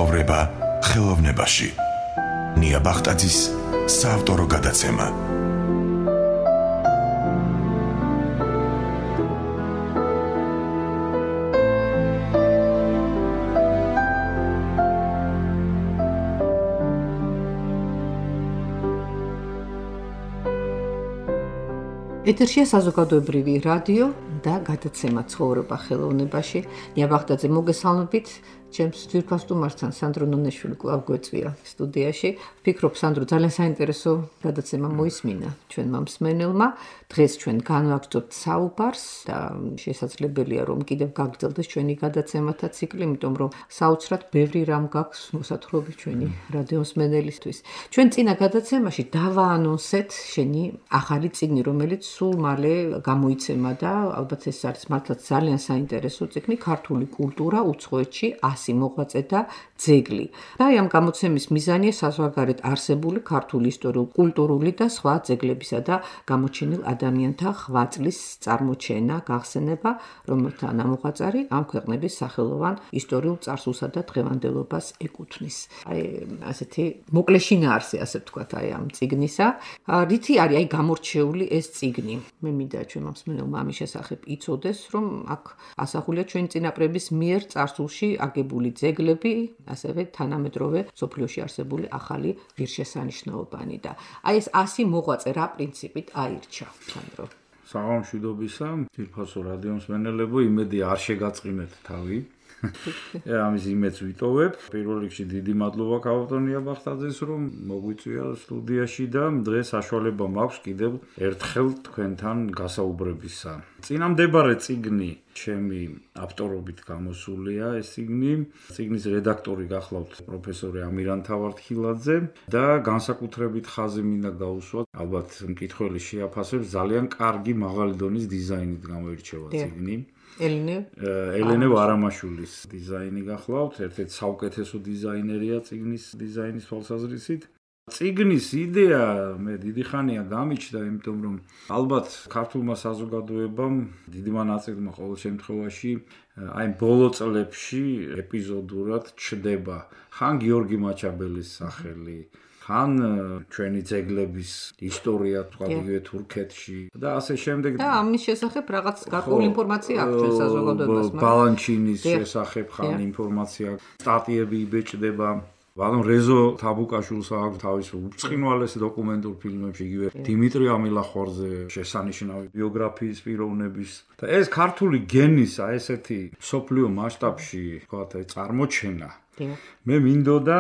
ცხოვრება ხელოვნებაში. ნია ბახტაძის საავტორო გადაცემა. ეთერშია საზოგადოებრივი რადიო და გადაცემა ცხოვრება ხელოვნებაში. ნია ბახტაძე, მოგესალმებით. ჩემს თვითფასტუმართან სანდრო ნონეშვილი კვლავ გვეწვია სტუდიაში. ვფიქრობ, სანდრო, ძალიან საინტერესო გადაცემა მოისმინა ჩვენმა მსმენელმა. დღეს ჩვენ განვაგრძობთ საუბარს და შესაძლებელია, რომ კიდევ გაგრძელდეს ჩვენი გადაცემათა ციკლი, იმიტომ რომ საოცრად ბევრი რამ გაქვს მოსათხრობი ჩვენი რადიო მსმენელისთვის. ჩვენ წინა გადაცემაში დავაანონსეთ შენი ახალი წიგნი, რომელიც სულ მალე გამოიცემა და ალბათ ეს არის მართლაც ძალიან საინტერესო წიგნი, ქართული კულტურა უცხოეთში 100 მოღვაწე და ძეგლი. და ამ გამოცემის მიზანია საზღვარგარეთ არსებული ქართული ისტორიულ-კულტურული და სხვა ძეგლებისა და გამოჩენილ ადამიანთა ღვაწლის წარმოჩენა, გახსენება, რომელთა ნამოღვაწარი ამ ქვეყნების სახელოვან ისტორიულ წარსულსა და დღევანდელობას ეკუთვნის. ასეთი მოკლე შინაარსი, ასე ვთქვათ, ამ წიგნისა. რითი არის გამორჩეული ეს წიგნი? მე მინდა ჩვენმა მსმენელმა ამის შესახებ იცოდეს, რომ აქ ასახულია ჩვენი წინაპრების მიერ წარსულში აგებული ძეგლები, ასევე თანამედროვე მსოფლიოში არსებული ახალი ღირსშესანიშნაობანი და ეს 100 მოღვაწე რა პრინციპით აირჩა, სანდრო? საღამშვიდობისა, თვითფასო რადიო მსმენელებო, იმედი არ შეგაწყინეთ თავი. ამის იმედს ვიტოვებ. პირველ რიგში დიდი მადლობა ქალბატონ ნია ბახტაძეს, რომ მოგვიწვია სტუდიაში და დღეს საშუალება მაქვს კიდევ ერთხელ თქვენთან გასაუბრებისა. წინამდებარე წიგნი ჩემი ავტორობით გამოსულია ეს წიგნი. წიგნის რედაქტორი გახლავთ პროფესორი ამირან თავართხილაძე და განსაკუთრებით ხაზი მინდა გაუსვა, ალბათ მკითხველი შეაფასებს, ძალიან კარგი მაღალი დონის დიზაინით გამოირჩევა წიგნი. ელენე ვარამაშვილის დიზაინი გახლავთ, ერთ-ერთი საუკეთესო დიზაინერია წიგნის დიზაინის თვალსაზრისით. წიგნის იდეა მე დიდი ხანია გამიჩნდა, იმიტომ რომ ალბათ ქართულმა საზოგადოებამ დიდმა ნაწილმა ყოველ შემთხვევაში აი ბოლო წლებში ეპიზოდურად ჩდება ხან გიორგი მაჩაბელის სახელი, ხან ჩვენი ძეგლების ისტორია თქვა თურქეთში და ასე შემდეგ. და ამის შესახებ რაღაც გარკვეული ინფორმაცია აქვს ჩვენ საზოგადოებას. ბალანჩინის შესახებ ხან ინფორმაცია, სტატიები იბეჭდება. ბალონ რეზო თაბუკაშვილს აქვს თავის უბრწყინვალეს დოკუმენტურ ფილმებში, იგივე დიმიტრი ამილახვარზე შესანიშნავი ბიოგრაფიის პიროვნების. და ეს ქართული გენისა, ესეთი მსოფლიო მასშტაბში, თქვათ, წარმოჩენა. მე მინდოდა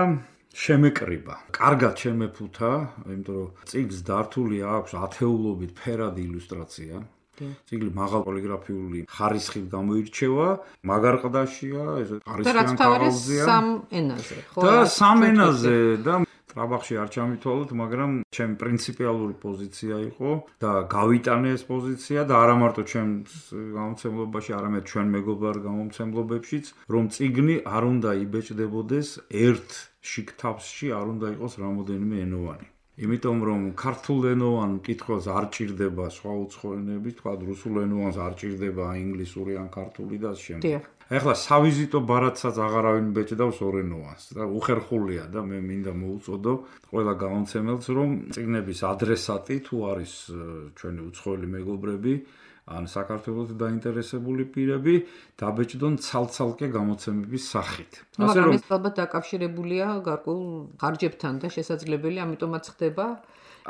შემეკრიბა. კარგად შემეფუთა, იმიტომ რომ წიგნს დართული აქვს ათეულობით ფერადი ილუსტრაცია. წიგნი მაღალ პოლიგრაფიული ხარისხით გამოირჩევა, მაგარ ყდაშია, ეს ყარისხიან კაღალზეა. სამ ენაზე, ხო? და სამ ენაზე და ტრაბახში არ ჩამითვალოთ, მაგრამ ჩემი პრინციპიალური პოზიცია იყო და გავიტანე ეს პოზიცია და არა მარტო ჩემს გამომცემლობაში, არამედ ჩვენ მეგობარ გამომცემლობებშიც, რომ წიგნი არ უნდა იბეჭდებოდეს ერთ შიგთავსში, არ უნდა იყოს რამოდენიმე ენოვანი. იმიტომ რომ ქართულენოვან მკითხველს არ ჭირდება სხვა უცხო ენები, თქვა რუსულ ენოვანს არ ჭირდება ინგლისური ან ქართული და ასე შემდეგ. ეხლა სავიზიტო ბარათსაც აღარავინ ბეჭდავს ორენოვანს და უხერხულია და მე მინდა მოუწოდო ყველა გამომცემელს, რომ წიგნების ადრესატი თუ არის ჩვენი უცხოელი მეგობრები ან საქართველოს დაინტერესებული პირები, დაბეჭდონ ცალ-ცალკე გამოცემების სახით. ასე რომ ეს ალბათ დაკავშირებულია გარკვეულ ხარჯებთან და შესაძლებელია, ამიტომაც ხდება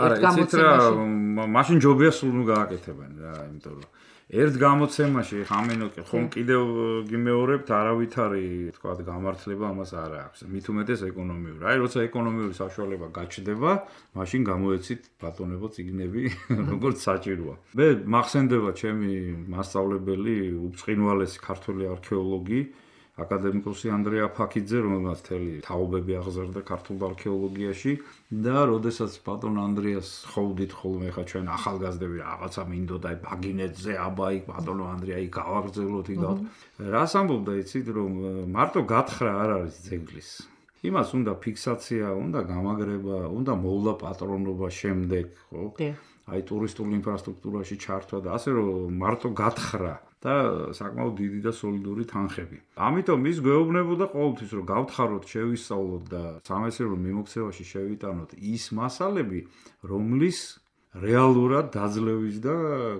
ერთ გამოცემაში. მაშინ ჯობია სულ ნუ გააკეთებენ რა, იმიტომ რომ ერთ გამოცემაში ხამენოკი ხომ კიდევ გიმეორებთ, არავითარი თქვა გამართლება ამას არ აქვს. მით უმეტეს ეკონომიური. აი როცა ეკონომიური საშუალება გაჩნდება, მაშინ გამოეცით ბატონებო წიგნები, როგორც საჭიროა. მე მახსენდება ჩემი მასწავლებელი, უბრწყინვალესი ქართული არქეოლოგი, აკადემიკოსი ანდრია ფაქიძე, რომელმაც მთელი თაობები აღზარდა ქართულ არქეოლოგიაში და როდესაც ბატონ ანდრიას ხოვდით ხოლმე ხა ჩვენ ახალგაზრდები რაღაცა მინდოდა ბაგინეთზე, აბა იქ ბატონო ანდრია იქ გავაგრძელოთ იგავთ. რას ამბობდა იცით, რომ მარტო გათხრა არ არის ძეგლის. იმას უნდა ფიქსაცია, უნდა გამაგრება, უნდა მოვლა პატრონობა შემდეგ, ხო? აი ტურისტულ ინფრასტრუქტურაში ჩართვა და ასე რომ მარტო გათხრა და საკმაოდ დიდი და სოლიდური თანხები. ამიტომ ის გვეუბნებოდა ყოველთვის, რომ გავთხაროთ, შევისწავლოთ და სამეცნიერო მიმოქცევაში შევიტანოთ ის მასალები, რომლის რეალურად დაძლევის და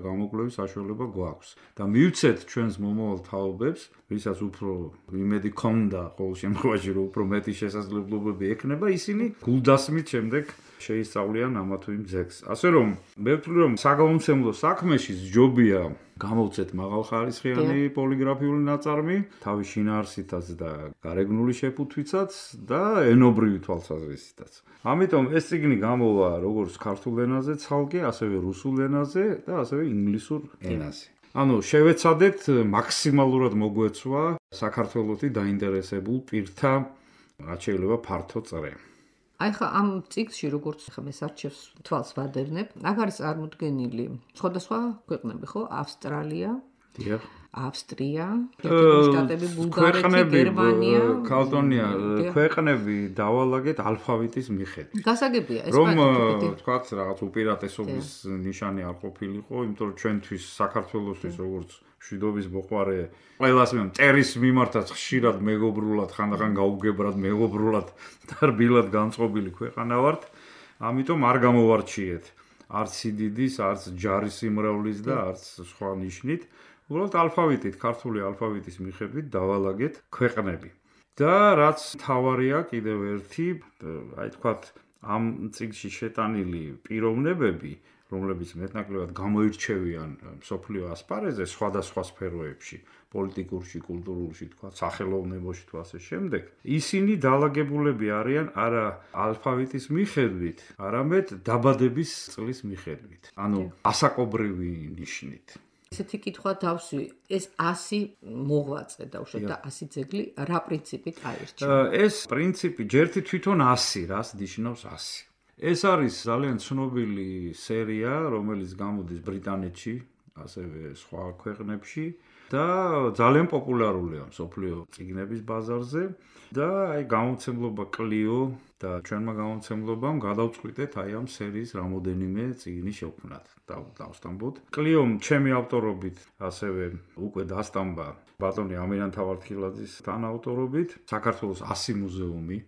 გამოკვლევის საშუალება გვაქვს და მივცეთ ჩვენს მომავალ თაობებს, ვისაც უფრო იმედი ქონდა ყოველ შემთხვევაში, რომ უფრო მეტი შესაძლებლობები ექნება, ისინი გულდასმით შემდეგ შეისწავლიან ამა თუ იმ ძეგლს. ასე რომ, მე ვთვლი, რომ საგამომცემლო საქმეში ჯობია გამოვცეთ მაღალხარისხიანი პოლიგრაფიული ნაწარმი, თავის შინაარსითაც და გარეგნული შეფუთვითაც და ენობრივი თვალსაზრისითაც. ამიტომ ეს წიგნი გამოვა როგორც ქართულ ენაზე ცალკე, ასევე რუსულ ენაზე და ასევე ინგლისურ ენაზე. ანუ შევეცადეთ მაქსიმალურად მოგვეცვა საქართველოსი დაინტერესებულ პირთა რაც შეიძლება ფართო წრე. აი ხა ამ წიგნში როგორც ხა მე საჩევს თვალს ვადევნებ, აქ არის წარმოდგენილი სხვადასხვა ქვეყნები, ხო? ავსტრალია, დიახ, ავსტრია, შტატები, ბულგარეთი, გერმანია. ქალტონია, ქვეყნები დავალაგეთ ალფავიტის მიხედვით. გასაგებია ეს რომ თქვათ რაღაც უპირატესობის ნიშანი არ ყოფილიყო, იმიტომ რომ ჩვენთვის საქართველოსთვის როგორც მშვიდობის მოყვარე ყველას მტერის მიმართაც ხშირად მეგობრულად ხანდახან გაუგებრად მეგობრულად და რბილად განწყობილი ქვეყანა ვართ, ამიტომ არ გამოვარჩიეთ არც სიდიდის, არც ჯარის სიმრავლის და არც სხვა ნიშნით. უბრალოდ ალფავიტით, ქართული ალფავიტის მიხედვით დავალაგეთ ქვეყნები. და რაც თავარია კიდევ ერთი, აი თქვათ ამ წიგნში შეტანილი პიროვნებები, რომლებიც მეტნაკლებად გამოირჩევიან მსოფლიო ასპარეზზე სხვადასხვა სფეროებში, პოლიტიკურში, კულტურულში, თქვათ, სახელოვნებაში თუ ასე შემდეგ, ისინი დაალაგებულები არიან არა ალფავიტის მიხედვით, არამედ დაბადების წლის მიხედვით, ანუ ასაკობრივი ნიშნით. ესეთი კითხვა დავსვი, ეს 100 მოღვაწე დავუშვათ და 100 ძეგლი რა პრინციპით აირჩევა? ეს პრინციპი ჯერთი თვითონ 100, რას ნიშნავს 100. ეს არის ძალიან ცნობილი სერია, რომელიც გამოდის ბრიტანეთში, ასევე სხვა ქვეყნებში და ძალიან პოპულარულია მსოფლიო წიგნების ბაზარზე და აი გამომცემლობა კლიო და ჩვენმა გამომცემლობამ გადავწყვიტეთ აი ამ სერიის რამოდენიმე წიგნი შევქმნათ. დავსტამბოთ. კლიომ ჩემი ავტორობით, ასევე უკვე დასტამბა ბატონი ამირან თავართხილაძის თანაავტორობით, საქართველოს 100 მუზეუმი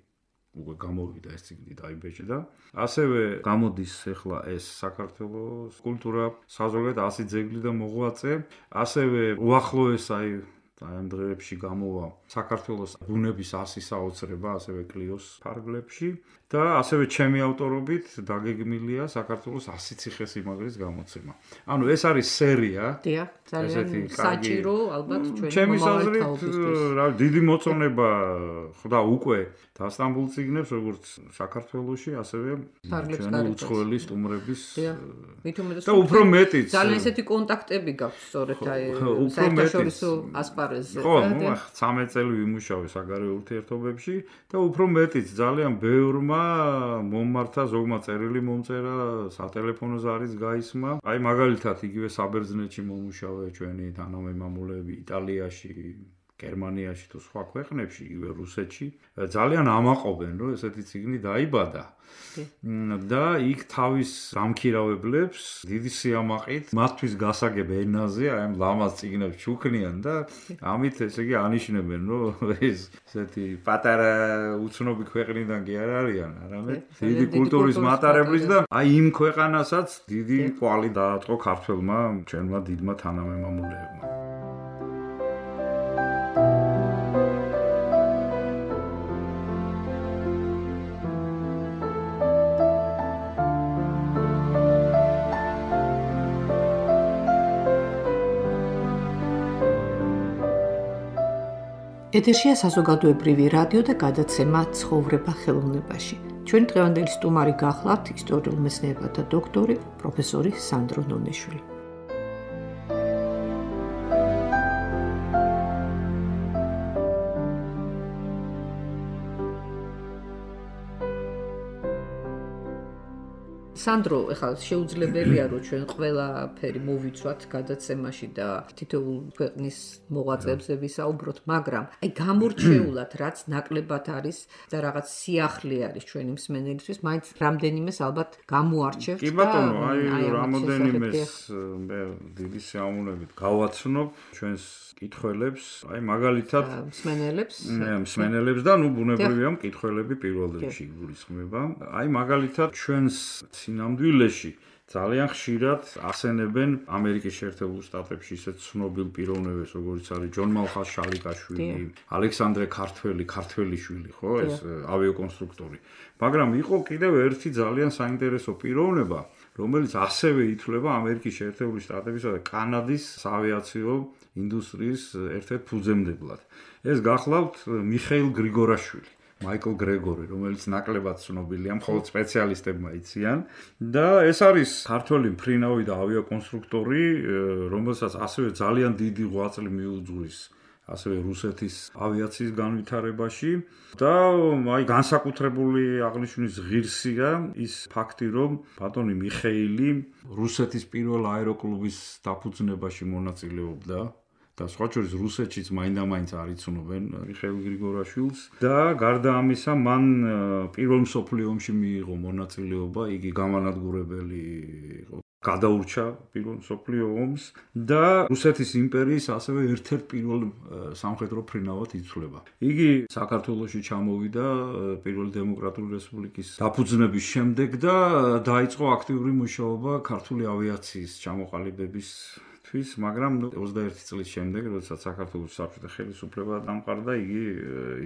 უკვე გამოვიდა ეს წიგნი დაიბეჭდა. ასევე გამოდის ახლა ეს საქართველოს კულტურა, საზოგადოებრივ 100 ძეგლი და მოღვაწე. ასევე უახლოეს აი ამ დღეებში გამოვა საქართველოს ბუნების 100 საოცრება, ასევე კლიოს ფარგლებში და ასევე ჩემი ავტორობით დაგეგმილია საქართველოს 100 ციხესიმაგრის გამოცემა. ანუ ეს არის სერია. დიახ, ძალიან საჭირო ალბათ ჩვენი ჩემი აზრით, რა დიდი მოწონება ხვდა უკვე დასტამბულ წიგნებს, როგორც საქართველოში, ასევე ჩვენი უცხოელი სტუმრების და უფრო მეტიც. ძალიან ესეთი კონტაქტები გაქვს სწორედ აი საერთაშორისო ასპარეზზე. ხო, 13 წელი ვიმუშავე საგარეო ურთიერთობებში და უფრო მეტიც ძალიან ბევრმა მომმართა ზოგმა წერილი მომწერა, სატელეფონო ზარიც გაისმა. აი მაგალითად იგივე საბერძნეთში მომუშავე ჩვენი თანამემამულეები იტალიაში, გერმანიაში თუ სხვა ქვეყნებში, იგივე რუსეთში ძალიან ამაყობენ, რომ ესეთი წიგნი დაიბადა. და იქ თავის გამქირავებლებს დიდი სიამაყით მათთვის გასაგებ ენაზე აი ამ ლამაზ წიგნებს ჩუქნიან და ამით ესე იგი ანიშნებენ, რომ ეს ესეთი პატარა უცნობი ქვეყნიდან კი არ არიან, არამედ დიდი კულტურის მატარებლის და აი იმ ქვეყანასაც დიდი კვალი დაატყო ქართველმა ჩვენმა დიდმა თანამემამულეებმა. ეთერშია საზოგადოებრივი რადიო და გადაცემა ცხოვრება ხელოვნებაში. ჩვენ დღევანდელი სტუმარი გახლავთ ისტორიულ მეცნიერებათა დოქტორი, პროფესორი სანდრო ნონეშვილი. სანდრო, ეხლა შეუძლებელია რომ ჩვენ ყველაფერი მოვიცვათ გადაცემაში და თითოეულ ქვეყნის მოღვაწეებზე ვისაუბროთ, მაგრამ აი გამორჩეულად რაც ნაკლებად არის და რაღაც სიახლე არის ჩვენი მსმენელისთვის, მაინც რამდენიმეს ალბათ გამოარჩევთ და კი ბატონო, აი რამოდენიმეს მე დიდი სიამოვნებით გავაცნობ ჩვენს კითხველებს, აი მაგალითად მსმენელებს და ბუნებრივია მკითხველები პირველ რიგში გულისხმება. აი მაგალითად ჩვენს სინამდვილეში ძალიან ხშირად ახსენებენ ამერიკის შეერთებულ შტატებში ისეთ ცნობილ პიროვნებებს, როგორიც არის ჯონ მალხაზ შალიკაშვილი, ალექსანდრე ქართველიშვილი, ხო, ეს ავიაკონსტრუქტორი. მაგრამ იყო კიდევ ერთი ძალიან საინტერესო პიროვნება, რომელიც ასევე ითვლება ამერიკის შეერთებული შტატებისა და კანადის ავიაციო ინდუსტრიის ერთ-ერთ ფუძემდებლად. ეს გახლავთ მიხეილ გრიგორაშვილი. მაიკლ გრეგორი, რომელიც ნაკლებად ცნობილია, მხოლოდ სპეციალისტებმა იციან და ეს არის ქართველი მფრინავი და ავიაკონსტრუქტორი, რომელსაც ასევე ძალიან დიდი ღვაწლი მიუძღვის ასევე რუსეთის ავიაციის განვითარებაში და აი განსაკუთრებული აღნიშვნის ღირსია ის ფაქტი, რომ ბატონი მიხეილი რუსეთის პირველ აეროკლუბის დაფუძნებაში მონაწილეობდა და სხვა შორის რუსეთშიც მაინდა-მაინც არ იცნობენ მიხეილ გრიგორაშვილს და გარდა ამისა მან პირველ მსოფლიო ომში მიიღო მონაწილეობა, იგი გამანადგურებელი იყო, გადაურჩა პირველ მსოფლიო ომს და რუსეთის იმპერიის ასევე ერთ-ერთ პირველ სამხედრო ფრინავად ითვლება. იგი საქართველოში ჩამოვიდა პირველი დემოკრატიული რესპუბლიკის დაფუძნების შემდეგ და დაიწყო აქტიური მუშაობა ქართული ავიაციის ჩამოყალიბების მაგრამ 21 წლის შემდეგ, როდესაც საქართველოს საბჭოთა ხელისუფლება დამყარდა, იგი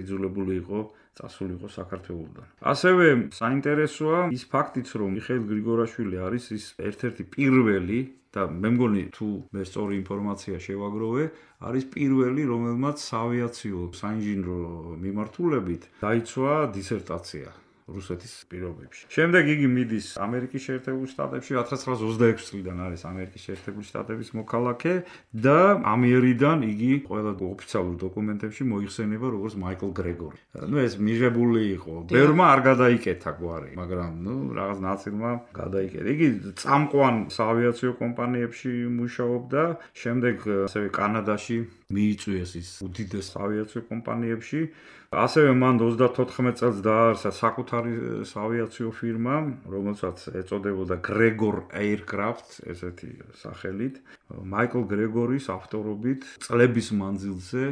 იძულებული იყო წასულიყო საქართველოსდან. ასევე საინტერესოა ის ფაქტიც, რომ მიხეილ გრიგორაშვილი არის ის ერთ-ერთი პირველი და მე მგონი თუ მე სწორი ინფორმაცია შევაგროვე, არის პირველი, რომელმაც ავიაციო საინჟინრო მიმართულებით დაიცვა დისერტაცია რუსეთის პირობებში. შემდეგ იგი მიდის ამერიკის შეერთებულ შტატებში, 1926 წლიდან არის ამერიკის შეერთებული შტატების მოქალაქე და ამიერიდან იგი ყველა ოფიციალურ დოკუმენტებში მოიხსენება როგორც მაიკლ გრეგორი. ეს მიღებული იყო. ბევრმა არ გადაიკეთა გვარი, მაგრამ რაღაც ნაწილმა გადაიკეთა. იგი წამყვან საავიაციო კომპანიებში მუშაობდა, შემდეგ ასევე კანადაში მიიწვიეს ის უდიდეს ავიაციო კომპანიებში. ასევე მან 34 წელს დააარსა საკუთარი ავიაციო ფირმა, რომელსაც ეწოდებოდა Gregor Aircraft, ესეთი სახელით. მაიკლ გრეგორის ავტორობით წლების მანძილზე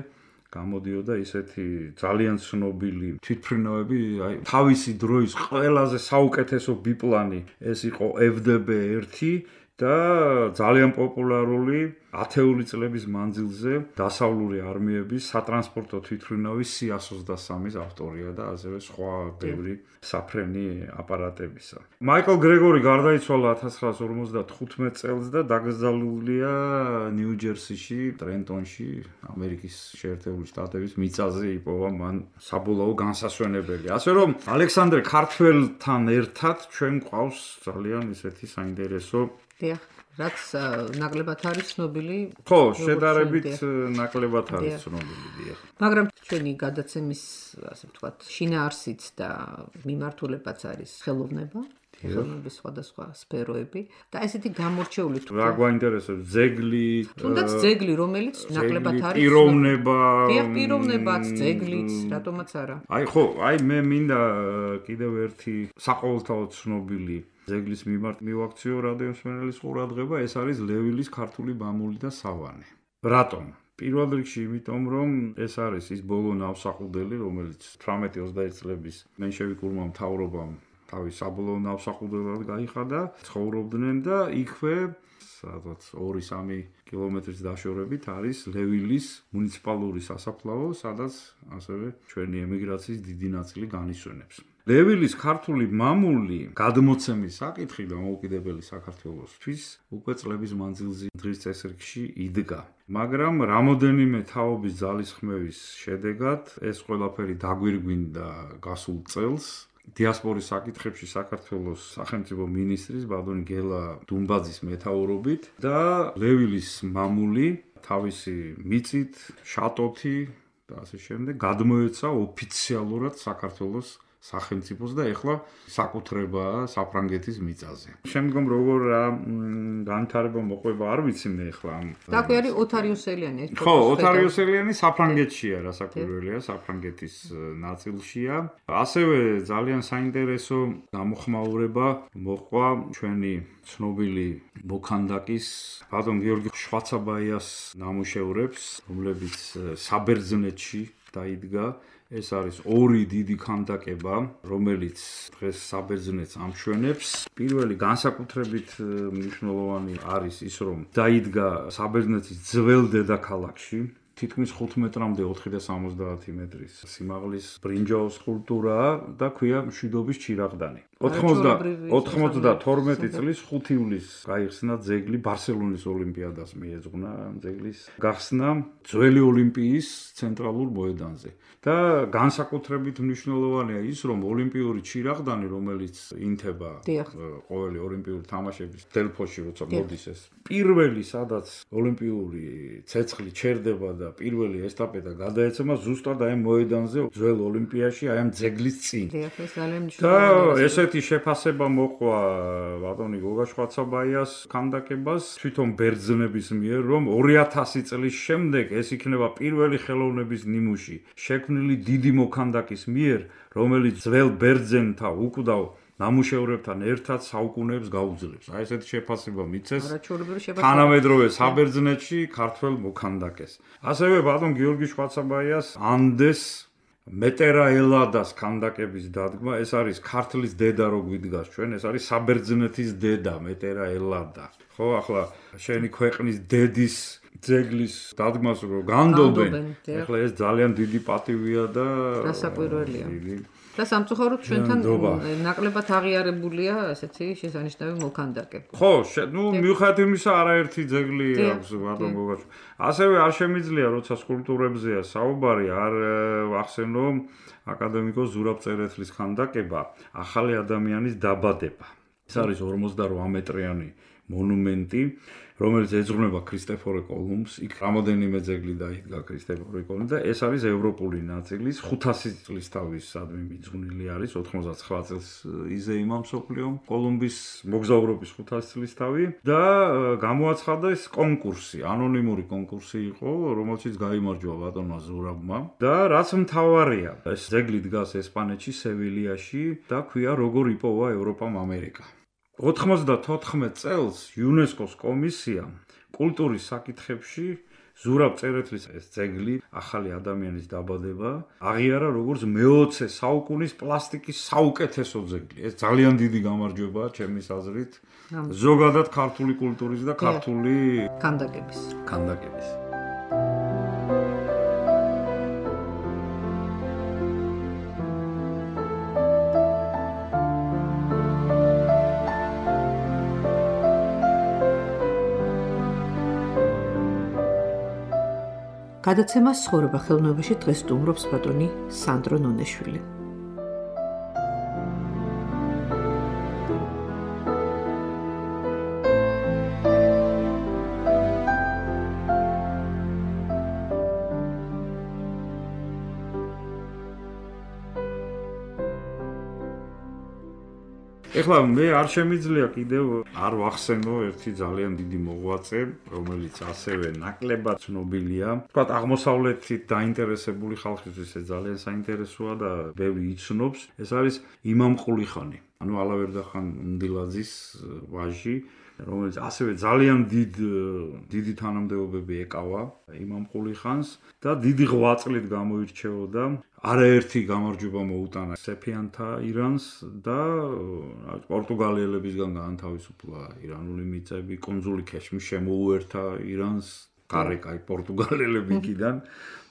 გამოდიოდა ისეთი ძალიან ცნობილი თვითმფრინავები, აი თავისი დროის ყველაზე საუკეთესო ბიპლანი ეს იყო FDB-1 და ძალიან პოპულარული ათეული წლების მანძილზე დასავლური არმიების სატრანსპორტო თვითმფრინავის C-123-ის ავტორია და ასევე სხვა ბევრი საფრენი აპარატებისა. მაიკლ გრეგორი გარდაიცვალა 1955 წელს და დაკრძალულია ნიუ-ჯერსიში, ტრენტონში, ამერიკის შეერთებული შტატების მიწაზე იპოვა მან საბოლოო განსასვენებელი. ასე რომ ალექსანდრე ქართველთან ერთად ჩვენ გვყავს ძალიან ისეთი საინტერესო რაც ნაკლებად არის ცნობილი. ხო, შედარებით ნაკლებად არის ცნობილი, დიახ. მაგრამ ჩვენი გადაცემის, ასე ვთქვათ, შინაარსიც და მიმართულებაც არის ხელოვნება, ხელოვნების სხვადასხვა სფეროები და ესეთი გამორჩეული თუ რა გვაინტერესებს, ძეგლი, თუნდაც ძეგლი, რომელიც ნაკლებად არის პიროვნება. დიახ, პიროვნებაც, ძეგლიც, რატომაც არა. აი ხო, აი მე მინდა კიდევ ერთი საყოველთაოდ ცნობილი ძეგლის მიმართ მივაქციო რადიოსმენელის ყურადღება, ეს არის ლევილის ქართული მამული და სავანე. რატომ? პირველ რიგში იმიტომ, რომ ეს არის ის ბოლო ნავსაყუდელი, რომელიც 18-21 წლების მენშევიკურმა მთავრობამ თავის საბოლოო ნავსაყუდებლად გაიხადა, ცხოვრობდნენ და იქვე სადაც 2-3 კილომეტრის დაშორებით არის ლევილის მუნიციპალური სასაფლაო, სადაც ასევე ჩვენი ემიგრაციის დიდი ნაწილი განისვენებს. ლევილის ქართული მამული გადმოცემის საკითხი დამოუკიდებელი საქართველოსთვის უკვე წლების მანძილზე დღის წესრიგში იდგა. მაგრამ რამოდენიმე თაობის ძალისხმევის შედეგად ეს ყველაფერი დაგვირგვინდა გასულ წელს. დიასპორის საკითხებში საქართველოს სახელმწიფო მინისტრის ბატონი გელა დუმბაძის მეთაურობით და ლევილის მამული თავისი მიწით, შატოთი და ასე შემდეგ გადმოეცა ოფიციალურად საქართველოს სახელმწიფოს და ეხლა საკუთრებაა საფრანგეთის მიწაზე. შემდგომ როგორ განვითარება მოყვება არ ვიცი მე ეხლა ამ. და აქვე არის ოთარიუსელიანი. ხო, ოთარიუსელიანი საფრანგეთშია, რასაკვირველია, საფრანგეთის ნაწილშია. ასევე ძალიან საინტერესო გამოხმაურება მოყვა ჩვენი ცნობილი მოქანდაკის ბატონ გიორგი შვაცაბაიას ნამუშევრებს, რომლებიც საბერძნეთში დაიდგა. ეს არის ორი დიდი ქანდაკება, რომელიც დღეს საბერძნეთს ამშვენებს. პირველი განსაკუთრებით მნიშვნელოვანი არის ის, რომ დაიდგა საბერძნეთის ძველ დედაქალაქში. თითქმის 5 მეტრამდე 470 მეტრის სიმაღლის ბრინჯაოს სკულპტურაა და ქვია მშვიდობის ჩირაღდანი. 92 წლის 5 ივლისს გაიხსნა ძეგლი ბარსელონის ოლიმპიადას მიეძღვნა ძეგლის გახსნა ძველი ოლიმპიის ცენტრალურ მოედანზე. და განსაკუთრებით მნიშვნელოვანია ის, რომ ოლიმპიური ჩირაღდანი, რომელიც ინთება ყოველი ოლიმპიური თამაშების დელფოში, როცა მოდის ეს პირველი, სადაც ოლიმპიური ცეცხლი ჩერდება და პირველი ესტაფეტა გადაეცემა ზუსტად აი მოედანზე, ძველ ოლიმპიაში, აი ამ ძეგლის წინ. და ესეთი შეფასება მოყვა ბატონი გოგა შვაცაბაიას ქანდაკებას თვითონ ბერძნების მიერ, რომ 2000 წლის შემდეგ ეს იქნება პირველი ხელოვნების ნიმუში შექმნილი დიდი მოქანდაკის მიერ, რომელიც ძველ ბერძენთა უკვდავ ნამუშევრებთან ერთად საუკუნეებს გაუძლებს. აი ესეთი შეფასება მიცეს თანამედროვე საბერძნეთში ქართველ მოქანდაკეს. ასევე ბატონ გიორგი შვაცაბაიას ანდეს მეტერა ელადას ქანდაკების დადგმა, ეს არის ქართლის დედა რო გვიდგას ჩვენ, ეს არის საბერძნეთის დედა მეტერა ელადა. ხო, ახლა შენი ქვეყნის დედის ძეგლის დადგმას რო განდობენ, ახლა ეს ძალიან დიდი პატივია და რასაკვირველია. და სამწუხაროდ ჩვენთან ნაკლებად აღიარებულია ესეთი შესანიშნავი მოქანდაკე. ხო, მიუხედავად იმისა, არაერთი ძეგლი აქვს ბატონ გოგაჩ. ასევე არ შემიძლია, როცა სკულპტურებზეა საუბარი, არ ვახსენო აკადემიკოს ზურაბ წერეთლის ქანდაკება, ახალი ადამიანის დაბადება. ეს არის 48 მეტრიანი მონუმენტი, რომელიც ეძღვნება ქრისტეფორე კოლუმბს. იქ რამოდენიმე ძეგლი დაიდგა ქრისტეფორე კოლუმბს და ეს არის ევროპული ნაწილის 500 წლის თავისადმი მიძღვნილი არის 99 წელს იზეიმა მსოფლიო კოლუმბის მოგზაურობის 500 წლის თავი და გამოაცხადა ეს კონკურსი, ანონიმური კონკურსი იყო, რომელშიც გაიმარჯვა ბატონმა ზურაბმა და რაც მთავარია, ეს ძეგლი დგას ესპანეთში, სევილიაში და ქვია როგორ იპოვა ევროპამ ამერიკა. 94 წელს იუნესკოს კომისიამ კულტურის საკითხებში ზურაბ წერეთლის ეს ძეგლი, ახალი ადამიანის დაბადება, აღიარა როგორც მე-20 საუკუნის პლასტიკის საუკეთესო ძეგლი. ეს ძალიან დიდი გამარჯვებაა ჩემის აზრით, ზოგადად ქართული კულტურის და ქართული ქანდაკების. გადაცემას ცხოვრება ხელოვნებაში დღეს სტუმრობს ბატონი სანდრო ნონეშვილი. ეხლა მე არ შემიძლია კიდევ არ ვახსენო ერთი ძალიან დიდი მოღვაწე, რომელიც ასევე ნაკლებად ცნობილია. თქვათ აღმოსავლეთით დაინტერესებული ხალხისთვის ეს ძალიან საინტერესოა და ბევრი იცნობს. ეს არის იმამ ყულიხანი, ანუ ალავერდახან მდილაძის ვაჟი, რომელიც ასევე ძალიან დიდი თანამდებობები ეკავა იმამ ყულიხანს და დიდი ღვაწლით გამოირჩეოდა. არაერთი გამარჯვება მოუტანა სეფიანთა ირანს და პორტუგალიელებისგან გაანთავისუფლა ირანული მიწები, კუნძული ქეშმი შემოუერთა ირანს, გარეკაი პორტუგალიელებიდან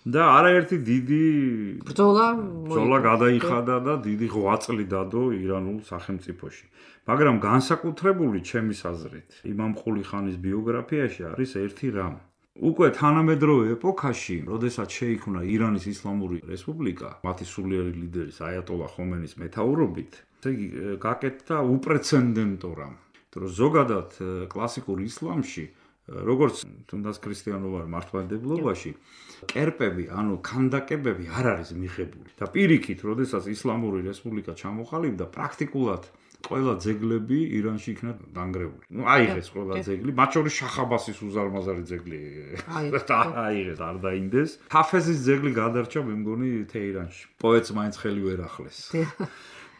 და არაერთი დიდი ბრძოლა გადაიხადა და დიდი ღვაწლი დადო ირანულ სახელმწიფოში. მაგრამ განსაკუთრებული ჩემის აზრით, იმამ ყულიხანის ბიოგრაფიაში არის ერთი რამ. უკვე თანამედროვე ეპოქაში, როდესაც შეიქმნა ირანის ისლამური რესპუბლიკა, მათი სულიერი ლიდერის აიატოლა ხომენის მეთაურობით, ესე იგი გაკეთდა უპრეცედენტო რამ. რომ ზოგადად კლასიკურ ისლამში როგორც თუნდაც ქრისტიანულ მართლმადიდებლობაში კერპები, ანუ ქანდაკებები არ არის მიღებული. და პირიქით, როდესაც ისლამური რესპუბლიკა ჩამოყალიბდა, პრაქტიკულად ყველა ძეგლები ირანში იქნა დანგრეული. აიღეს ყველა ძეგლი, მათ შორის შახაბასის უზარმაზარი ძეგლი აიღეს, არ დაინდეს. ჰაფეზის ძეგლი გადარჩა, მე მგონი, თეირანში. პოეტს მაინც ხელი ვერ ახლეს.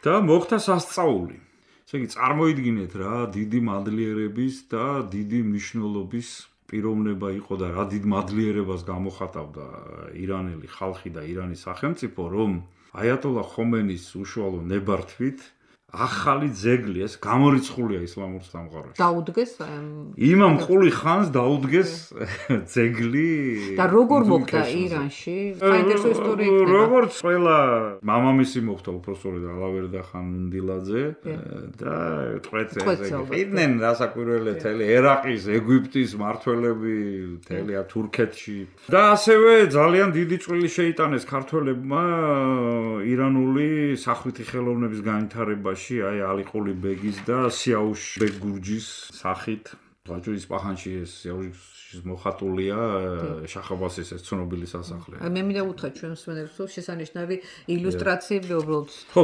და მოხდა სასწაული. ესე იგი, წარმოიდგინეთ რა, დიდი მადლიერების და დიდი მნიშვნელობის პიროვნება იყო და რა დიდ მადლიერებას გამოხატავდა ირანელი ხალხი და ირანის სახელმწიფო, რომ აიატოლა ხომენის უშუალო ნებართვით ახალი ძეგლი ეს გამორიცხულია ისლამურ სამყაროში. დაუდგეს იმამ ყული ხანს დაუდგეს ძეგლი და როგორ მოხდა ირანში? საინტერესო ისტორია იქნება. როგორც ყველა მამამისი მოხდა უпроსწორედ ალავერდა ხან უნდილაძე და ტყვეცე. იდნენ რასაკვირველია თელი ერაყის, ეგვიპტის მართველები, თელია თურქეთში. და ასევე ძალიან დიდი წვლილი შეიტანეს ქართველებმა ირანული სახვითი ხელოვნების განვითარებაში. აი ალიყული ბეგის და სიაუშ ბეგ გურჯის სახით ვაჯურის პაჰანში ეს სიაუშის მოხატულია შახაბასის ეს ცნობილი სასახლე. მე მინდა უთხრა ჩვენ მსმენელებს რომ შესანიშნავი ილუსტრაციები უბრალოდ ხო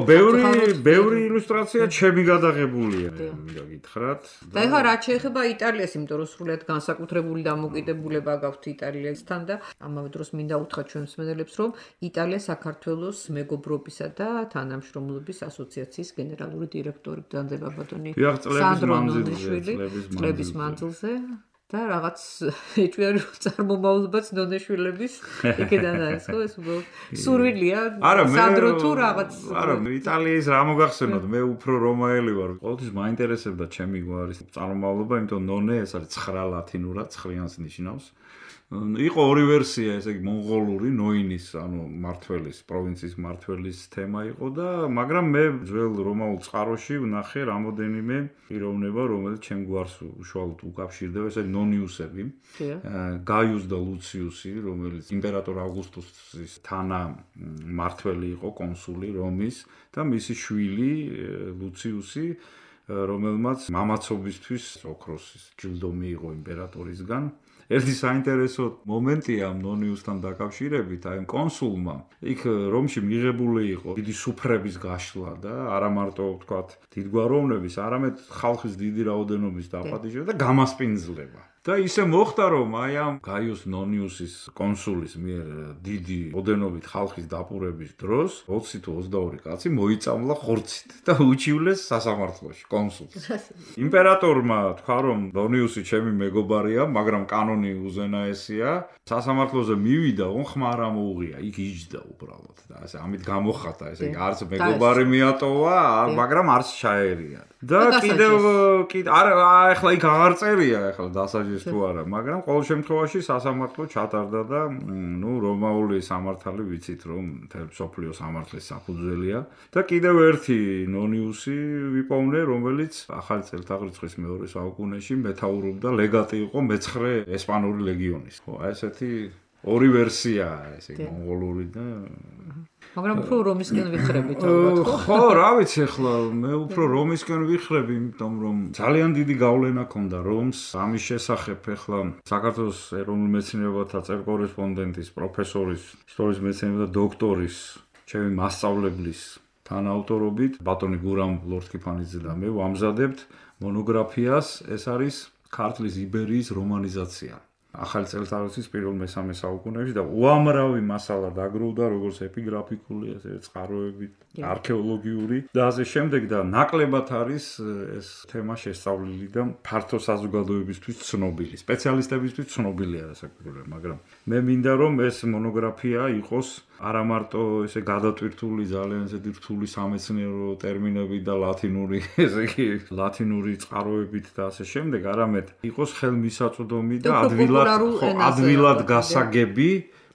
ბევრი ილუსტრაცია ჩემი გადაღებულია მინდა გითხრათ და ეხლა რაც შეეხება იტალიას იმიტომ რომ სრულად განსაკუთრებული დამოკიდებულება გაქვთ იტალიასთან და ამავე დროს მინდა უთხრა ჩვენ მსმენელებს რომ იტალია საქართველოს მეგობრობისა და თანამშრომლობის ასოციაციის გენერალური დირექტორი ბრძანდება ბატონი სანდრო ნონიშვილი წლების მანძილზე და რაღაც ეჭვიანი წარმომავლობაც ნონეშვილების იქიდან არის ხო ეს სურვილია სანდრო თუ რაღაც არა იტალიის რა მოგახსენოთ მე უფრო რომაელი ვარ ყოველთვის მაინტერესებდა ჩემი გვარის წარმომავლობა იმიტომ ნონე ეს არის 9 ლათინურად 9-ს ნიშნავს იყო ორი ვერსია, ესე იგი მონღოლური, ნოინის, ანუ მართველის, პროვინციის მართველის თემა იყო და მაგრამ მე ძველ რომაულ წყაროში ვნახე რამოდენიმე პიროვნება, რომელიც ჩემ გვარს უშუალოდ უკავშირდება, ესე ნონიუსები, გაიუს და ლუციუსი, რომელიც იმპერატორ ავგუსტუსის თანა მართველი იყო, კონსული რომის და მისი შვილი ლუციუსი რომელმაც მამაცობისთვის ოქროსის ჯილდო მიიღო იმპერატორისგან ერთი საინტერესო მომენტია ნონიუსთან დაკავშირებით, აი კონსულმა იქ რომში მიღებული იყო დიდი სუფრების გაშლა და არა მარტო ვთქვათ დიდგვაროვნების, არამედ ხალხის დიდი რაოდენობის დაპატიჟება და გამასპინძლება. და ისე მოხდა რომ აი ამ გაიუს ნონიუსის კონსულის მიერ დიდი ოდენობით ხალხის დაპურების დროს 20 თუ 22 კაცი მოიწამლა ხორცით და უჩივლეს სასამართლოში კონსულს. იმპერატორმა თქვა რომ ნონიუსი ჩემი მეგობარია, მაგრამ კანონი უზენაესია. სასამართლოზე მივიდა, ხმა არ ამოუღია, იქ იჯდა უბრალოდ და ასე ამით გამოხატა, ესე იგი არც მეგობარი მიატოვა, მაგრამ არც ჩაერია. და კიდევ არა ეხლა იქ აღარ წერია ეხლა დასაჯეს თუ არა, მაგრამ ყოველ შემთხვევაში სასამართლო ჩატარდა და ნუ რომაული სამართალი ვიცით რომ მთელ მსოფლიოს სამართლის საფუძველია და კიდევ ერთი ნონიუსი ვიპოვნე, რომელიც ახალი წელთაღრიცხვის მეორე საუკუნეში მეთაურობდა ლეგატი იყო მე-9 ესპანური ლეგიონის. ხო, აი ესეთი ორი ვერსიაა, ესე იგი მონღოლური და მაგრამ უფრო რომისკენ ვიხრებით ალბათ ხო რა ვიცი ახლა მე უფრო რომისკენ ვიხრები იმიტომ რომ ძალიან დიდი გავლენა ქონდა რომს ამის შესახებ ახლა საქართველოს ეროვნულ მეცნიერებათა წერკორესპონდენტის პროფესორის ისტორიის მეცნიერებათა დოქტორის ჩემი მასწავლებლის თანაავტორობით ბატონი გურამ ლორთქიფანიძე და მე ვამზადებთ მონოგრაფიას ეს არის ქართლის იბერიის რომანიზაცია ახალი წელთაღრიცხვის პირველ მე-3 საუკუნეებში და უამრავი მასალა დაგროვდა როგორც ეპიგრაფიკული, ასე წყაროებით, არქეოლოგიური და ასე შემდეგ და ნაკლებად არის ეს თემა შესწავლილი და ფართო საზოგადოებისთვის ცნობილი, სპეციალისტებისთვის ცნობილია რასაკვირველია, მაგრამ მე მინდა რომ ეს მონოგრაფია იყოს არა მარტო ესე გადატვირთული ძალიან ესეთი რთული სამეცნიერო ტერმინებით და ლათინური, ესე იგი ლათინური წყაროებით და ასე შემდეგ, არამედ იყოს ხელმისაწვდომი და ადვილად გასაგები,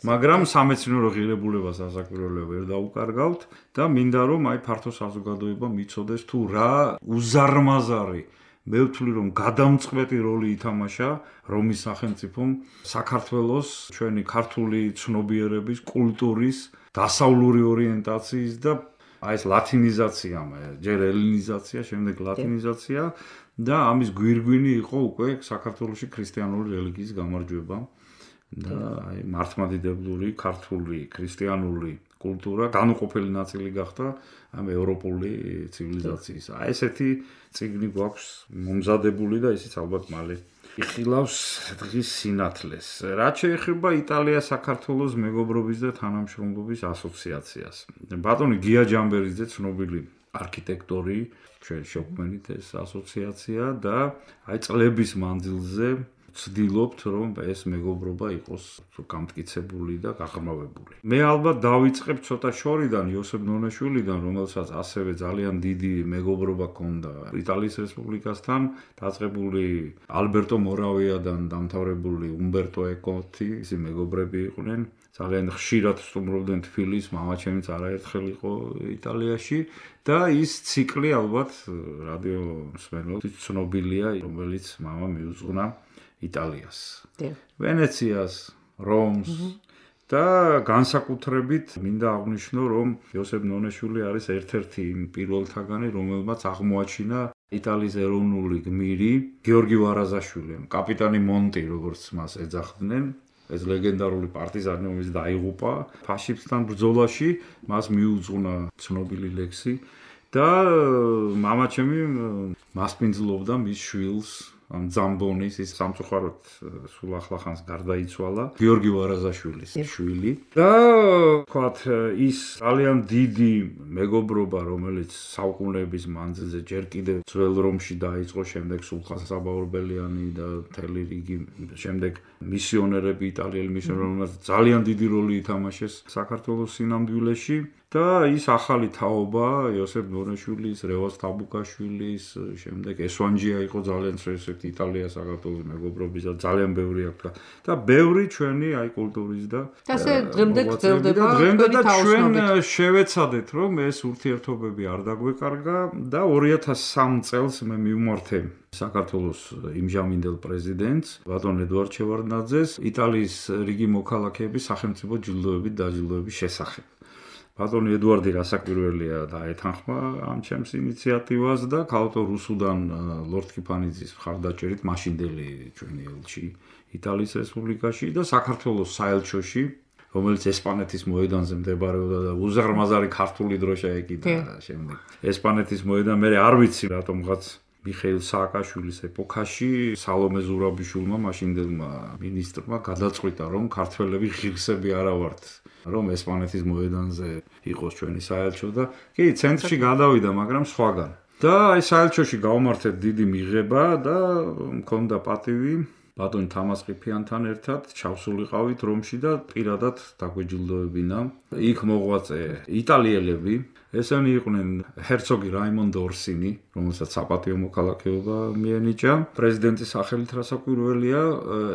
მაგრამ სამეცნიერო ღირებულებას ასაკვირველია ვერ დაუკარგავთ და მინდა რომ აი ფართო საზოგადოება მიცოდეს თუ რა უზარმაზარი მე ვთვლი რომ გადამწყვეტი როლი ითამაშა რომის სახელმწიფომ საქართველოს ჩვენი ქართული ცნობიერების, კულტურის, დასავლური ორიენტაციის და აი ეს ლათინიზაცია, ჯერ ელინიზაცია, შემდეგ ლათინიზაცია და ამის გვირგვინი იყო უკვე საქართველოში ქრისტიანული რელიგიის გამარჯვება და აი მართლმადიდებლური, ქართული, ქრისტიანული კულტურა განუყოფელი ნაწილი გახდა ამ ევროპული ცივილიზაციის. აი ესეთი წიგნი გვაქვს მომზადებული და ისიც ალბათ მალე იხილავს დღის სინათლეს. რაც შეეხება იტალია-საქართველოს მეგობრობის და თანამშრომლობის ასოციაციას. ბატონი გია ჯამბერიძე ცნობილი არქიტექტორი, ჩვენ შექმნით ეს ასოციაცია და აი წლების მანძილზე ვცდილობთ, რომ ეს მეგობრობა იყოს გამტკიცებული და გაღრმავებული. მე ალბათ დავიწყებ ცოტა შორიდან, იოსებ ნონეშვილიდან, რომელსაც ასევე ძალიან დიდი მეგობრობა ჰქონდა იტალიის რესპუბლიკასთან, დაწყებული ალბერტო მორავიადან დამთავრებული უმბერტო ეკოთი, ისინი მეგობრები იყვნენ. ძალიან ხშირად სტუმრობდნენ თბილისს, მამაჩემიც არაერთხელ იყო იტალიაში და ის ციკლი ალბათ რადიო მსმენელს ცნობილია, რომელიც მამა მიუძღვნა იტალიას, ვენეციას, რომს და განსაკუთრებით მინდა აღვნიშნო, რომ იოსებ ნონეშვილი არის ერთ-ერთი იმ პირველთაგანი, რომელმაც აღმოაჩინა იტალიის ეროვნული გმირი გიორგი ვარაზაშვილი, კაპიტანი მონტი, როგორც მას ეძახდნენ. ეს ლეგენდარული პარტიზანი, რომელიც დაიღუპა ფაშისტთან ბრძოლაში, მას მიუძღვნა ცნობილი ლექსი და მამაჩემი მასპინძლობდა მის შვილს ზამბონის ის სამწუხაროდ სულ ახლახანს გარდაიცვალა გიორგი ვარაზაშვილის შვილი და თქვათ ის ძალიან დიდი მეგობრობა რომელიც საუკუნეების მანძილზე ჯერ კიდევ ძველ რომში დაიწყო შემდეგ სულხან საბაურბელიანი და მთელი რიგი შემდეგ მისიონერები იტალიელი მისიონერები ძალიან დიდი როლი ითამაშეს საქართველოს სინამდვილეში და ის ახალი თაობა იოსებ ნონეშვილის, რევაზ თაბუკაშვილის, შემდეგ ესვანჯია იყო ძალიან ესეთი იტალია საქართველოს მეგობრობის და ძალიან ბევრი აქვს და ბევრი ჩვენი აი კულტურის და ასე დღემდე გრძელდება და ჩვენ შევეცადეთ რომ ეს ურთიერთობები არ დაგვეკარგა და 2003 წელს მე მივმართე საქართველოს იმჟამინდელ პრეზიდენტს ბატონ ედუარდ შევარდნაძეს იტალიის რიგი მოქალაქეების სახელმწიფო ჯილდოებით დაჯილდოების შესახებ. ბატონი ედუარდი რასაკვირველია დაეთანხმა ამ ჩემს ინიციატივას და ქალто რუსუდან ლორდ კიფანიძის მხარდაჭერით მაშინდელი ჩვენი ელჩი იტალიის რესპუბლიკაში და საქართველოს საელჩოში რომელიც ესპანეთის მოედანზე მდებარეობდა და უზარმაზარი ქართული დროშა ეკიდა შემდეგ ესპანეთის მოედან მე არ ვიცი რატომღაც მიხეილ სააკაშვილის ეპოქაში სალომე ზურაბიშვილმა მაშინდელმა მინისტრმა გადაწყვიტა რომ ქართველები ღირსები არა ვართ რომ ესპანეთის მოედანზე იყოს ჩვენი საელჩო და კი ცენტრში გადავიდა მაგრამ სხვაგან და აი საელჩოში გავმართეთ დიდი მიღება და მქონდა პატივი ბატონ თამას ყიფიანთან ერთად ჩავსულიყავით რომში და პირადად დაგვეჯილდოებინა იქ მოღვაწე იტალიელები ესენი იყვნენ ჰერცოგი რაიმონდო ორსინი რომელსაც საპატიო მოქალაქეობა მიენიჭა პრეზიდენტის სახელით რასაკვირველია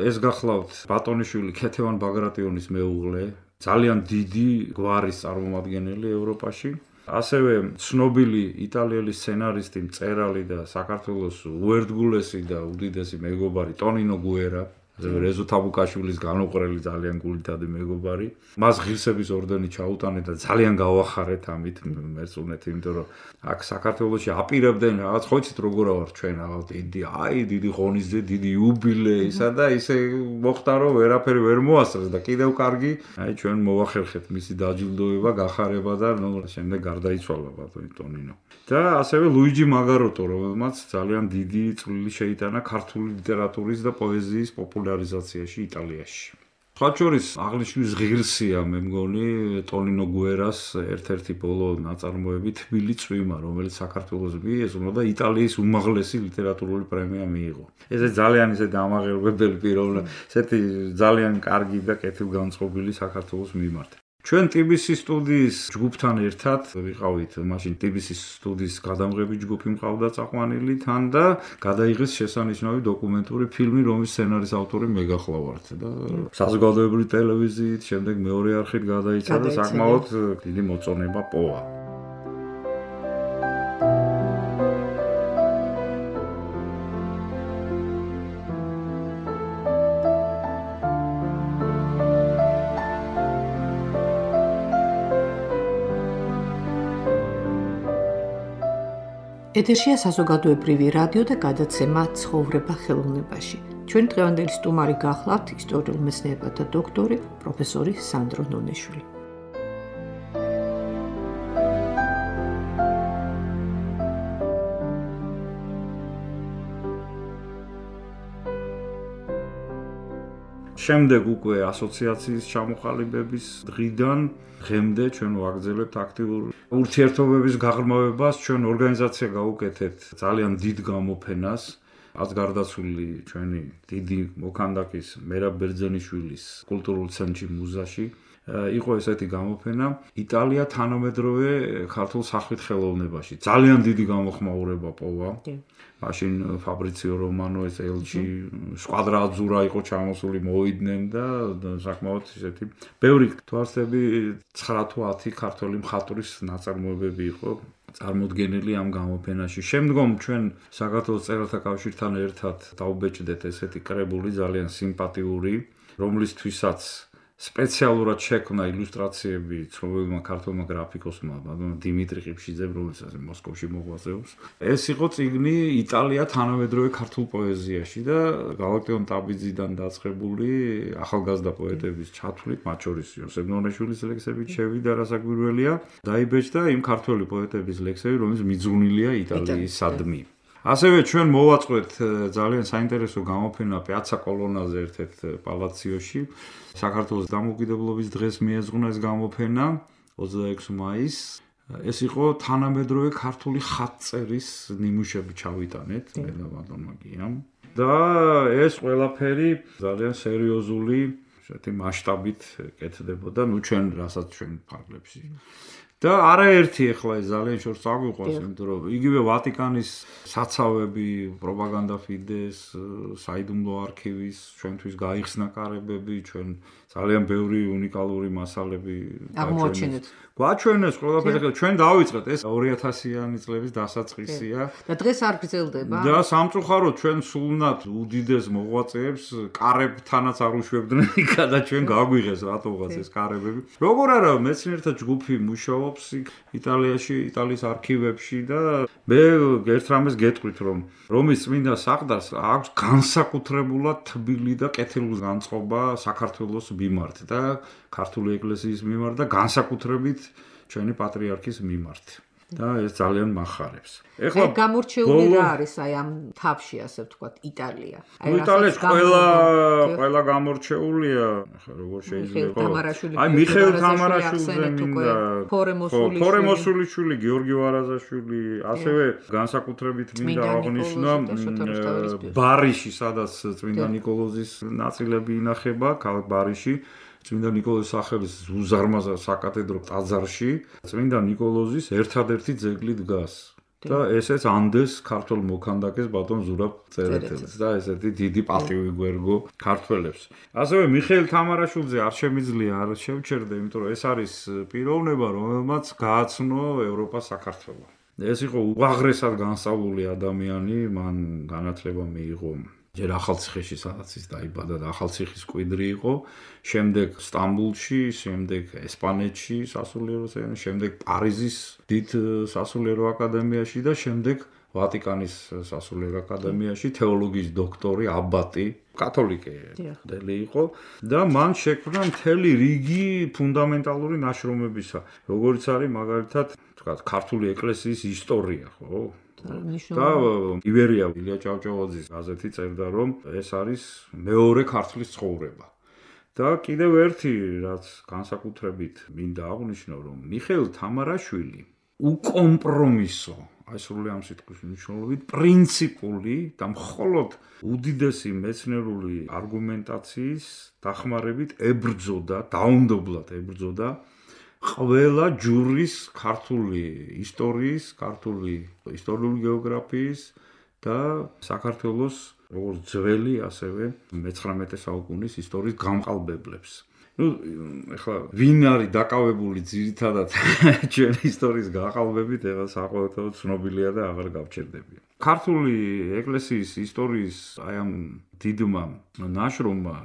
ეს გახლავთ ბატონიშვილი ქეთევან ბაგრატიონის მეუღლე ძალიან დიდი გვარის წარმომადგენელი ევროპაში ასევე ცნობილი იტალიელი სცენარისტი, მწერალი და საქართველოს უერთგულესი და უდიდესი მეგობარი ტონინო გუერა, რეზო თაბუკაშვილის განუყრელი ძალიან გულითადი მეგობარი. მას ღირსების ორდენი ჩაუტანეთ და ძალიან გავახარეთ ამით მერწუნეთ, იმიტომ რომ აქ საქართველოში აპირებდნენ რაღაც ხოიცით როგორ ვარ ჩვენ რაღაც დიდი ღონისძე, დიდი იუბილეისა და ისე მოხდა რომ ვერაფერი ვერ მოასწრეს და კიდევ კარგი, აი ჩვენ მოვახერხეთ მისი დაჯილდოება, გახარება და შემდეგ გარდაიცვალა ბატონი ტონინო. და ასევე ლუიჯი მაგაროტო, რომელმაც ძალიან დიდი წვლილი შეიტანა ქართული ლიტერატურის და პოეზიის პოპულარიზაციაში იტალიაში. სხვა შორის აღნიშნვის ღირსია მე მგონი ტონინო გუერას ერთ-ერთი ბოლო ნაწარმოები თბილი წვიმა, რომელიც საქართველოს მიეძღვნა და იტალიის უმაღლესი ლიტერატურული პრემია მიიღო. ეს ძალიან ისე დამაღერებელი პიროვნება, ესეთი ძალიან კარგი და კეთილგანწყობილი საქართველოს მიმართ. ჩვენ TBC სტუდიის ჯგუფთან ერთად ვიყავით, მაშინ TBC სტუდიის გადამღები ჯგუფი მყავდა წაყვანილი თან და გადაიღეს შესანიშნავი დოკუმენტური ფილმი, რომლის სცენარის ავტორი მე გახლავართ და საზოგადოებრივი ტელევიზიით, შემდეგ მეორე არხით გადაიცა და საკმაოდ დიდი მოწონება პოვა. ეთერშია საზოგადოებრივი რადიო და გადაცემა ცხოვრება ხელოვნებაში. ჩვენ დღევანდელი სტუმარი გახლავთ ისტორიულ მეცნიერებათა დოქტორი პროფესორი სანდრო ნონიშვილი. შემდეგ უკვე ასოციაციის ჩამოყალიბების დღიდან დღემდე ჩვენ ვაგრძელებთ აქტიურ ურთიერთობების გაღრმავებას. ჩვენ ორგანიზაცია გავუკეთეთ ძალიან დიდ გამოფენას, ას გარდაცვლილი ჩვენი დიდი მოქანდაკის მერაბ ბერძენიშვილის კულტურულ ცენტრში მუზაში იყო ესეთი გამოფენა იტალია თანამედროვე ქართულ სახვით ხელოვნებაში. ძალიან დიდი გამოხმაურება პოვა. მაშინ ფაბრიციო რომანო ეს ელჩი სკვადრა აძურა იყო ჩამოსული მოვიდნენ და საკმაოდ ისეთი ბევრი თვარსები 9 თუ 10 ქართველი მხატვრის ნაწარმოებები იყო წარმოდგენილი ამ გამოფენაში. შემდგომ ჩვენ საქართველოს წერათა კავშირთან ერთად დავბეჭდეთ ესეთი კრებული ძალიან სიმპათიური, რომლისთვისაც სპეციალურად შექმნა ილუსტრაციები ცნობილმა ქართველმა გრაფიკოსმა დიმიტრი ყიფშიძემ, რომელსაც მოსკოვში მოღვაწეობს. ეს იყო წიგნი იტალია თანამედროვე ქართულ პოეზიაში და გალაქტიონ ტაბიძიდან დაწყებული ახალგაზრდა პოეტების ჩათვლით, მათ შორის იოსებ ნონიშვილის ლექსებით შევიდა, რასაკვირველია, დაიბეჭდა იმ ქართველი პოეტების ლექსები, რომლებიც მიძღვნილია იტალიისადმი. ასევე ჩვენ მოვაწყვეთ ძალიან საინტერესო გამოფენა პიაცა კოლონაზე ერთ-ერთ პალაციოში. საქართველოს დამოუკიდებლობის დღეს მიეძღვნა ეს გამოფენა 26 მაისს. ეს იყო თანამედროვე ქართული ხატწერის ნიმუშები ჩავიტანეთ მე და ბატონმა გიამ. და ეს ყველაფერი ძალიან სერიოზული ესეთი მასშტაბით კეთდებოდა, ჩვენ რასაც ჩვენ ფარგლებში. და არაერთი ახლა ეს ძალიან შორს აგვიყვანს, იმიტომ რომ იგივე ვატიკანის საცავები, პროპაგანდა ფიდეს, საიდუმლო არქივის ჩვენთვის გაიხსნა კარებები, ჩვენ ძალიან ბევრი უნიკალური მასალები აღმოაჩინეთ. გვაჩვენეს ყველაფერი, ჩვენ დავიწყეთ ეს 2000-იანი წლების დასაწყისია. და დღეს არ გრძელდება. და სამწუხაროდ ჩვენ სულნად უდიდეს მოღვაწეებს კარებთანაც არ უშვებდნენ იქა და ჩვენ გაგვიღეს რატომღაც ეს კარებები. როგორ არა მეცნიერთა ჯგუფი მუშაობს იტალიაში, იტალიის არქივებში და მე ერთ რამეს გეტყვით რომ რომის წმინდა საყდარს აქვს განსაკუთრებულად თბილი და კეთილგანწყობა განწყობა საქართველოს მიმართ და ქართული ეკლესიის მიმართ და განსაკუთრებით ჩვენი პატრიარქის მიმართ. და ეს ძალიან מחარებს. ეხლა გამორჩეული რა არის აი ამ თავში ასე ვთქვათ იტალია. აი იტალიაში ყველა გამორჩეულია, როგორ შეიძლება აი მიხეილ თამარაშვილზე მინდა ფორემოსულიშვილი, გიორგი ვარაზაშვილი, ასევე განსაკუთრებით მინდა აღნიშნო ბარიში, სადაც წმინდა ნიკოლოზის ნაწილები ინახება, ქალაქ ბარიში. წმინდა ნიკოლოზის სახელის უზარმაზარ საკათედრო ტაძარში წმინდა ნიკოლოზის ერთადერთი ძეგლი დგას და ესეც ანდეს ქართულ მოქანდაკეს ბატონ ზურაბ წერეთელს და ესეთი დიდი პატივი გვერგო ქართველებს. ასევე მიხეილ თამარაშვილზე არ შემიძლია არ შევჩერდე, იმიტომ რომ ეს არის პიროვნება, რომელმაც გააცნო ევროპა საქართველო. ეს იყო უაღრესად განსწავლული ადამიანი, მან განათლება მიიღო ჯერ ახალციხეში სადაც ის დაიბადა და ახალციხის კვიდრი იყო, შემდეგ სტამბულში, შემდეგ ესპანეთში სასულიერო სემინარიაში, შემდეგ პარიზის დიდ სასულიერო აკადემიაში და შემდეგ ვატიკანის სასულიერო აკადემიაში თეოლოგიის დოქტორი, აბატი, კათოლიკელი იყო და მან შექმნა მთელი რიგი ფუნდამენტალური ნაშრომებისა, როგორიც არის მაგალითად, თქვათ, ქართული ეკლესიის ისტორია, ხო? და ივერია ილია ჭავჭავაძის გაზეთი წერდა რომ ეს არის მეორე ქართლის ცხოვრება. და კიდევ ერთი რაც განსაკუთრებით მინდა აღვნიშნო რომ მიხეილ თამარაშვილი უკომპრომისო, აი სრული ამ სიტყვის მნიშვნელობით პრინციპული და მხოლოდ უდიდესი მეცნიერული არგუმენტაციის დახმარებით ებრძოდა, დაუნდობლად ებრძოდა ყველა ჯურის ქართული ისტორიის, ქართული ისტორიული გეოგრაფიის და საქართველოს როგორც ძველი, ასევე მე-19 საუკუნის ისტორიის გამყალბებლებს. ეხლა ვინ არის დაკავებული ძირითადად ჩვენი ისტორიის გაყალბებით, ეხლა საყოველთაოდ ცნობილია და აღარ გავჩერდები. ქართული ეკლესიის ისტორიის აი ამ დიდმა ნაშრომმა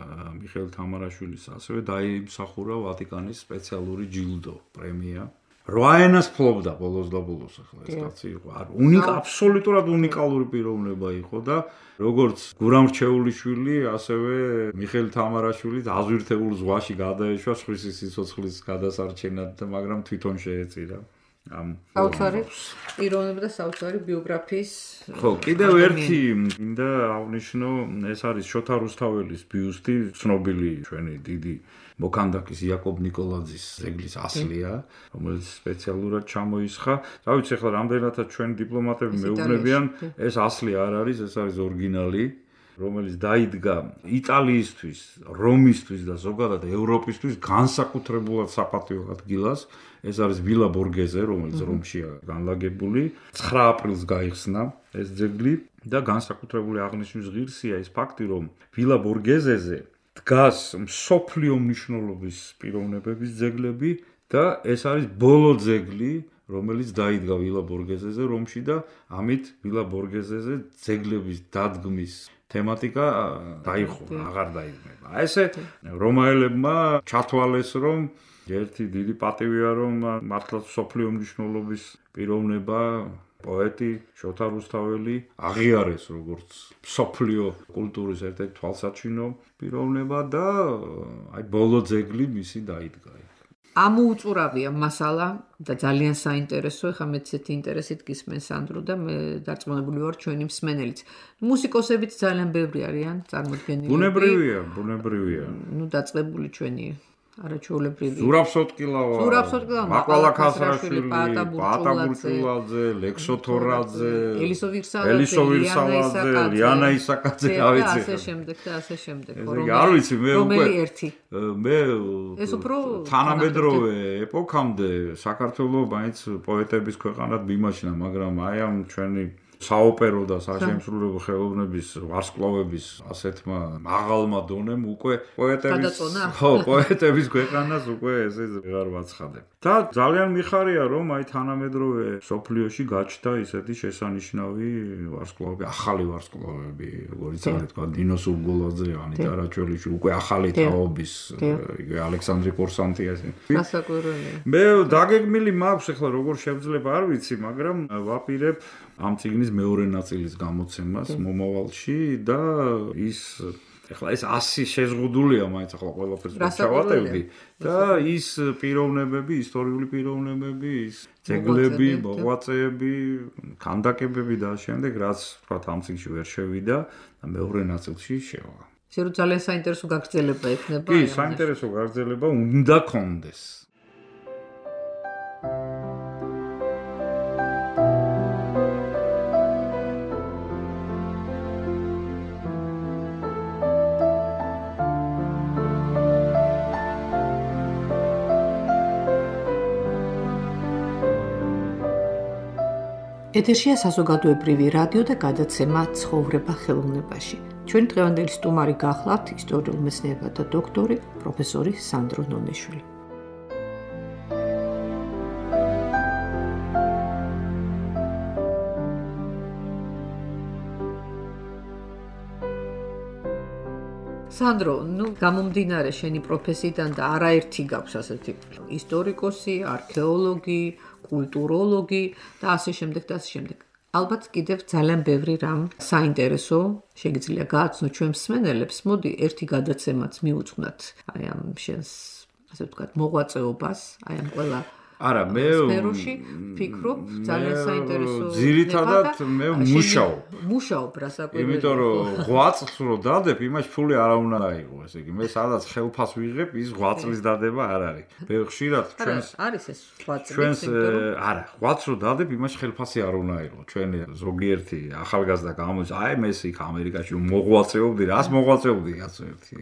მიხეილ თამარაშვილის ასევე დაიმსახურა ვატიკანის სპეციალური ჯილდო პრემია 8 ენას ფლობდა ბოლოს და ბოლოს ახლა ეს კაცი იყო. აბსოლუტურად უნიკალური პიროვნება იყო და როგორც გურამ რჩეულიშვილი, ასევე მიხეილ თამარაშვილი აზვირთებულ ზღვაში გადაეშვა სხვისი სიცოცხლის გადასარჩენად და მაგრამ თვითონ შეეწირა. საოცარი პიროვნება და საოცარი ბიოგრაფიის ხო, კიდევ ერთი მინდა აღნიშნო, ეს არის შოთა რუსთაველის ბიუსტი, ცნობილი ჩვენი დიდი მოქანდაკის იაკობ ნიკოლაძის ძეგლის ასლია, რომელიც სპეციალურად ჩამოისხა. რა ვიცი, ახლა რამდენადაც ჩვენი დიპლომატები მეუბნებიან, ეს ასლი არ არის, ეს არის ორიგინალი, რომელიც დაიდგა იტალიისთვის, რომისთვის და ზოგადად ევროპისთვის განსაკუთრებულად საპატიო ადგილას. ეს არის ვილა ბორგეზე, რომელიც რომშია განლაგებული. 9 აპრილს გაიხსნა ეს ძეგლი და განსაკუთრებული აღნიშვნის ღირსია ის ფაქტი, რომ ვილა ბორგეზეზე დგას მსოფლიო მნიშვნელობის პიროვნებების ძეგლები და ეს არის ბოლო ძეგლი, რომელიც დაიდგა ვილა ბორგეზეზე რომში და ამით ვილა ბორგეზეზე ძეგლების დადგმის თემატიკა დაიხურა, აღარ დაიდგმება. ესე რომაელებმა ჩათვალეს, რომ ერთი დიდი პატივია, რომ მართლაც მსოფლიო მნიშვნელობის პიროვნება პოეტი შოთა რუსთაველი აღიარეს როგორც მსოფლიო კულტურის ერთ-ერთი თვალსაჩინო პიროვნება და აი ბოლო ძეგლი მისი დაიდგა. ამოუწურავია მასალა და ძალიან საინტერესო, ეხლა მე ცეთი ინტერესით გისმენ სანდრო და მე დარწმუნებული ვარ ჩვენი მსმენელიც. მუსიკოსებიც ძალიან ბევრი არიან წარმოდგენილი. ბუნებრივია. ნუ დაწყებული ჩვენი არაჩვეულებრივი. ზურაბ სოტკილავა, მაყვალა ქასრაშვილი, პაატა ბურჭულაძე, ლექსო თორაძე, ელისო ვირსალაძე, ლიანა ისაკაძე, რა ვიცი. ასე შემდეგ და ასე შემდეგ. არ ვიცი, მე რომელი ერთი? მე ეს უფრო თანამედროვე ეპოქამდე საქართველოს მაინც პოეტების ქვეყანად მიმაჩნდა, მაგრამ აი ამ ჩვენი საოპერო და საშემსრულებლო ხელოვნების ვარსკვლავების ასეთმა მაღალმა დონემ უკვე პოეტების ქვეყანას უკვე ესე ვეღარ ვაცხადებ. და ძალიან მიხარია, რომ აი თანამედროვე სოფლიოში გაჩნდა ისეთი შესანიშნავი ვარსკვლავები, ახალი ვარსკვლავები, როგორიც არის თქვა დინო სულგულაძე, ანიტა რაჩველიშვილი, უკვე ახალი თაობის, იგივე ალექსანდრე კორსანტი ასე. გასაკვირველია. მე დაგეგმილი მაქვს, ახლა როგორ შევძლებ არ ვიცი, მაგრამ ვაპირებ ამ წიგნის მეორე ნაწილის გამოცემას მომავალში და ის ეხლა ეს 100 შეზღუდულია მაინც ახლა ყველაფერს ჩავატევდი და ის პიროვნებები, ისტორიული პიროვნებები, ის ძეგლები, მოღვაწეები, ქანდაკებები და შემდეგ რაც თქვა ამ წიგნში ვერ შევიდა და მეორე ნაწილში შევა. ისე რომ ძალიან საინტერესო გაგრძელება ექნება. კი, საინტერესო გაგრძელება უნდა კონდეს. ეთერშია საზოგადოებრივი რადიო და გადაცემა ცხოვრება ხელოვნებაში. ჩვენი დღევანდელი სტუმარი გახლავთ ისტორიულ მეცნიერებათა დოქტორი, პროფესორი სანდრო ნონეშვილი. სანდრო, ნუ გამომდინარე შენი პროფესიიდან და არაერთი გაქვს ასეთი ისტორიკოსი, არქეოლოგი, კულტუროლოგი და ასე შემდეგ და ასე შემდეგ. ალბათ კიდევ ძალიან ბევრი რამ საინტერესო შეგიძლია გააცნო ჩვენ მსმენელებს. მოდი ერთი გადაცემაც მიუძღვნათ აი ამ შენს ასე ვთქვათ მოღვაწეობას, აი ამ ყველა არა, მე სფეროში ფიქრობ, ძალიან საინტერესო. ძირითადად მე მუშაობ რასაკვირველია. იმიტომ რომ ღვაწლს რო დადებ, იმაში ფული არ უნდა აიღო, ესე იგი, მე სადაც ხელფას ვიღებ, ის ღვაწლის დადება არ არის. მე ხშირად ჩვენს არის ეს ღვაწლი, ჩვენს არა, ღვაწლს რო დადებ, იმაში ხელფასი არ უნდა აიღო. ჩვენი ზოგიერთი ახალგაზრდა გამოდის, აი მე იქ ამერიკაში მოღვაწეობდი, რას მოღვაწეობდი კაცო ერთი.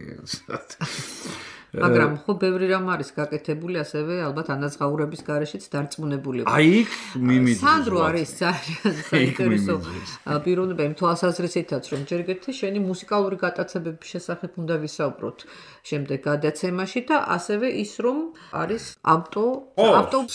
მაგრამ ხო ბევრი რამ არის გაკეთებული, ასევე ალბათ ანაზღაურების გარეშეც დარწმუნებული ვარ. აი იქ მიმიძ. სანდრო არის ძალიან საინტერესო პიროვნება იმ თვალსაზრისითაც, რომ ჯერ კიდევ შენი მუსიკალური გატაცებების შესახებ უნდა ვისაუბროთ შემდეგ გადაცემაში და ასევე ის რომ არის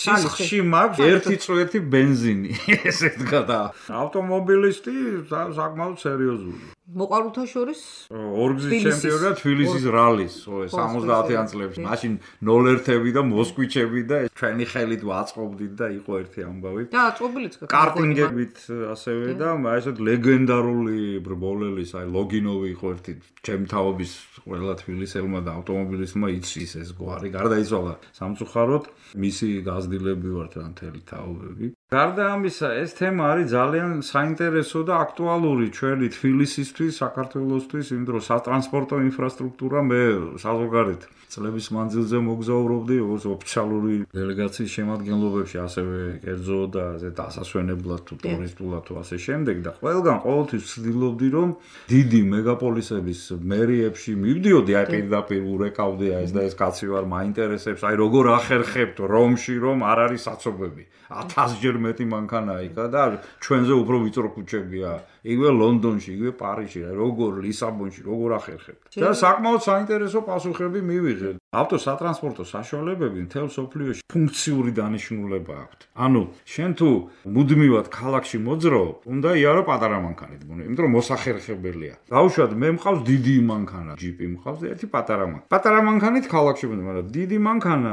სისხლში მაქვს 1 წრო 1 ბენზინი, ესე ვთქვა და ავტომობილისტი საკმაოდ სერიოზული. მოყარულთა შორის ორგზის ჩემპიონია თბილისის რალის 70-იან წლებში. მაშინ 0-1-ები და მოსკვიჩები და ჩვენი ხელით ვაწყობდით და იყო ერთი ამბავი. და აწყობილიც კარტინგებით ასევე და ესეთ ლეგენდარული ბრბოლელის, აი ლოგინოვი იყო ერთი ჩემთავობის ყველა თბილისელმა და ავტომობილისტმა იცის ეს გვარი. გარდაიცვალა სამწუხაროდ, მისი გაზრდილები ვართ რა მთელი თაობები. გარდა ამისა, ეს თემა არის ძალიან საინტერესო და აქტუალური ჩვენი თბილისისთვის, საქართველოსთვის, იმ დროს სატრანსპორტო ინფრასტრუქტურა მე საზოგადოებრივ წლების მანძილზე მოგზაურობდი ოფიციალური დელეგაციის შემადგენლობებში, ასევე კერძო და დასასვენებლად თუ ტურისტულად თუ ასე შემდეგ და ყველგან ყოველთვის ვცდილობდი რომ დიდი მეგაპოლისების მერიებში მივდიოდი, აი პირდაპირ ურეკავდი ეს და ეს კაცი ვარ, მაინტერესებს, აი როგორ ახერხებთ რომში რომ არ არის საცობები. 1000-ჯერ მეტი მანქანაა იქა და ჩვენზე უფრო ვიწრო ქუჩებია. იგივე ლონდონში, იგივე პარიზში, როგორ ლისაბონში, როგორ ახერხებთ. და საკმაოდ საინტერესო პასუხები მივიღეთ. ავტოსატრანსპორტო საშუალებები მთელ მსოფლიოში ფუნქციური დანიშნულება აქვთ. ანუ შენ თუ მუდმივად ქალაქში მოძრაობ, უნდა იარო პატარა მანქანით, იმიტომ რომ მოსახერხებელია. დაუშვათ, მე მყავს დიდი მანქანა, ჯიპი მყავს და ერთი პატარა მანქანა. პატარა მანქანით ქალაქში მოძრაობ, მაგრამ დიდი მანქანა,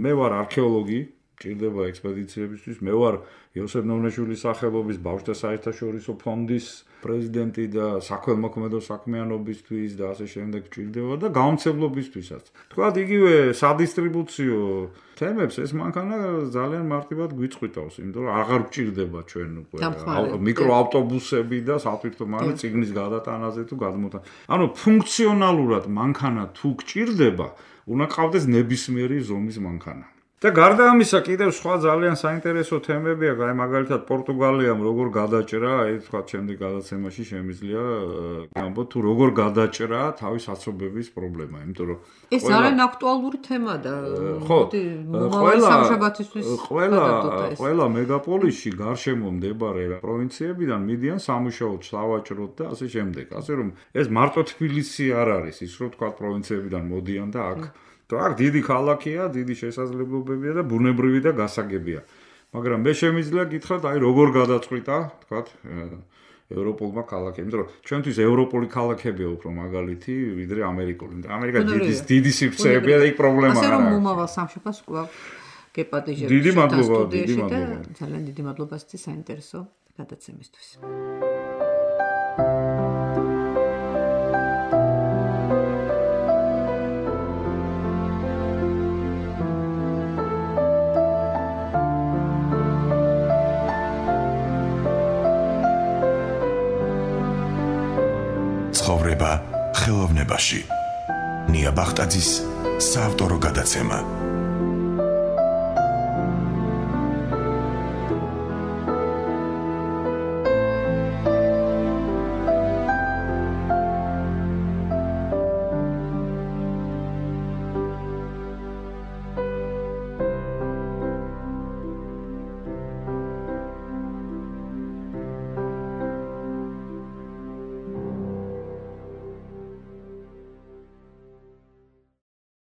მე ვარ არქეოლოგი, ჭირდება ექსპედიციებისთვის. მე ვარ იოსებ ნოვნეშვილის სახელობის ბავშვთა საერთაშორისო ფონდის პრეზიდენტი და საქველმოქმედო საქმიანობისთვის და ასე შემდეგ ჭირდება და გაუმცემლობისთვისაც. თქვათ, იგივე სადისტრიბუციო თემებს ეს მანქანა ძალიან მარტივად გვიწყვიტავს, იმიტომ რომ აღარ გჭირდება ჩვენ უკვე მიკროავტობუსები და სატვირთო მანქანა წიგნის გადატანაზე თუ გადმოთან. ანუ ფუნქციონალურად მანქანა თუ გჭირდება, უნდა ყავდეს ნებისმიერი ზომის მანქანა. და გარდა ამისა კიდევ სხვა ძალიან საინტერესო თემებია, აი მაგალითად პორტუგალიამ როგორ გადაჭრა, აი თქვა შემდეგ გადაცემაში შემიძლია გამბო თუ როგორ გადაჭრა თავის აცობების პრობლემა, იმიტომ რომ ეს ძალიან აქტუალური თემა და ყველა მეგაპოლისში გარშემო მდებარე პროვინციებიდან მიდიან სამუშაოდ, სავაჭროდ და ასე შემდეგ. ასე რომ ეს მარტო თბილისი არ არის, ის რომ თქვა პროვინციებიდან მოდიან და აქ აქ დიდი ქალაქია, დიდი შესაძლებლობებია და ბუნებრივი და გასაგებია. მაგრამ მე შემიძლია გითხრათ, აი როგორ გადაწყვიტა, თქვათ, ევროპულმა ქალაქებმა, იმიტომ რომ ჩვენთვის ევროპული ქალაქებია უფრო მაგალითი, ვიდრე ამერიკული. ამერიკა დიდი სივრცეებია და იქ პრობლემა არა. ასე რომ მომავალ სამშაბათს კვლავ გეპატიჟებ. დიდი მადლობა, დიდი მადლობა. ძალიან დიდი მადლობა სიცი საინტერესო გადაცემისთვის. ცხოვრება ხელოვნებაში. ნია ბახტაძის საავტორო გადაცემა.